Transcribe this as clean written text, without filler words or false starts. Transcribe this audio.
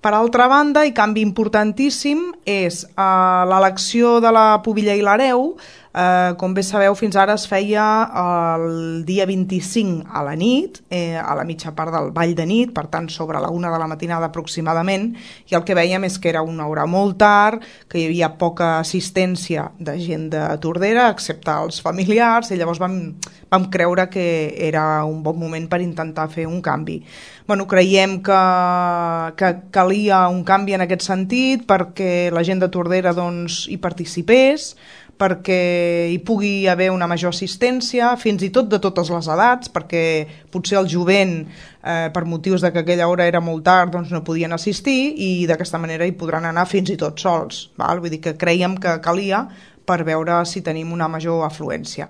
Per altra banda, i canvi importantíssim, és l'elecció de la pubilla i l'hereu. Com bé sabeu, fins ara es feia el dia 25 a la nit, a la mitja part del ball de nit, per tant sobre la 1 de la matinada aproximadament, i el que vèiem és que era una hora molt tard, que hi havia poca assistència de gent de Tordera, excepte els familiars, i llavors vam creure que era un bon moment per intentar fer un canvi. Creiem que calia un canvi en aquest sentit perquè la gent de Tordera hi participés, perquè hi pugui haver una major assistència, fins i tot de totes les edats, perquè potser el jovent, per motius de que aquella hora era molt tard, no podien assistir, i d'aquesta manera hi podran anar fins i tot sols. Vull dir que creiem que calia per veure si tenim una major afluència.